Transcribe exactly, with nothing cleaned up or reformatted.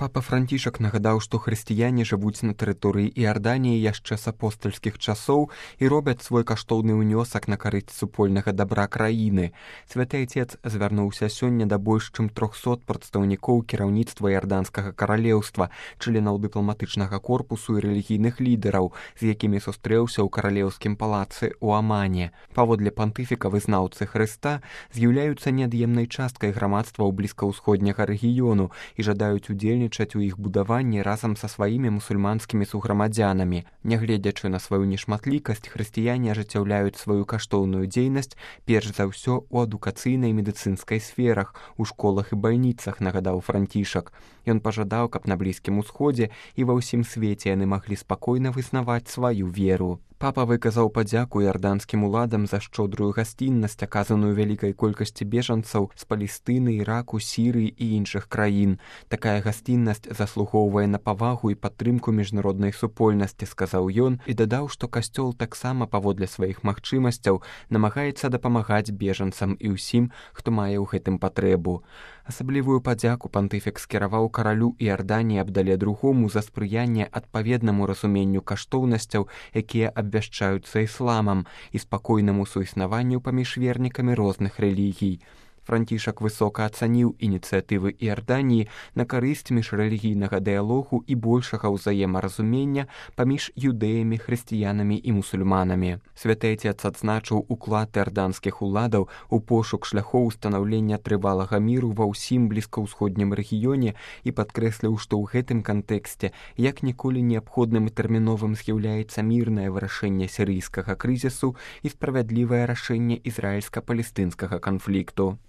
Папа Францішак нагадаў, што хрысціяне жывуць на тэрыторыі Іарданіі яшчэ з апостальскіх часоў і робяць свой каштоўны ўнёсак на карысць супольнага дабра краіны. Святы Айцец звярнуўся сёння да больш чым трохсот прадстаўнікоў кіраўніцтва Іарданскага каралеўства, членаў дыпламатычнага корпусу і рэлігійных лідараў, з якімі сустрэўся ў каралеўскім палацы ў Амане. Паводле пантыфіка вызнаўцы Хрыста з'яўляюцца неад'емнай часткай грамадства ў блізкаўсходняга рэгіёну і жадаюць удзельнічаць у іх будаванні разам са сваімі мусульманскімі суграмадзянамі. Нягледзячы на сваю нешматлікасць, хрысціяне ажыццяўляюць сваю каштоўную дзейнасць перш за ўсё ў адукацыйнай медыцынскай сферах, у школах і бальніцах, нагадаў Францішак. Ён пажадаў, каб на Блізкім Усходзе і ва ўсім свеце яны маглі спакойна вызнаваць сваю веру. Папа выказаў падзяку іарданскім уладам за шчодрую гасціннасць, аказаную вялікай колькасці бежанцаў з Палестыны, Іраку, Сірыі і іншых краін. Такая гасціннасць заслугоўвае на павагу і падтрымку міжнароднай супольнасці, сказаў ён, і дадаў, што касцёл таксама паводле сваіх магчымасцяў намагаецца дапамагаць бежанцам і ўсім, хто мае ў гэтым патрэбу. Асаблівую падзяку пантыфік скіраваў каралю Іарданіі Абдале другому за спрыянне адпаведнаму разуменню каштоўнасцяў, якія абвяшчаюцца ісламам, і спакойнаму суіснаванню паміж вернікамі розных рэлігій. Францішак высока ацаніў ініцыятывы Іарданіі на карысць міжрэлігійнага дыялогу і большага ўзаемаразумення паміж юдэямі, хрысціянамі і мусульманамі. Святы Айцец адзначыў уклад іарданскіх уладаў у пошук шляхоў устанаўлення трывалага міру ва ўсім блізкаўсходнім рэгіёне і падкрэсліў, што ў гэтым кантэксце як ніколі неабходным і тэрміновым з'яўляецца мірнае вырашэнне сірыйскага крызісу і справядлівае рашэнне ізраільска-палестынскага канфлікту.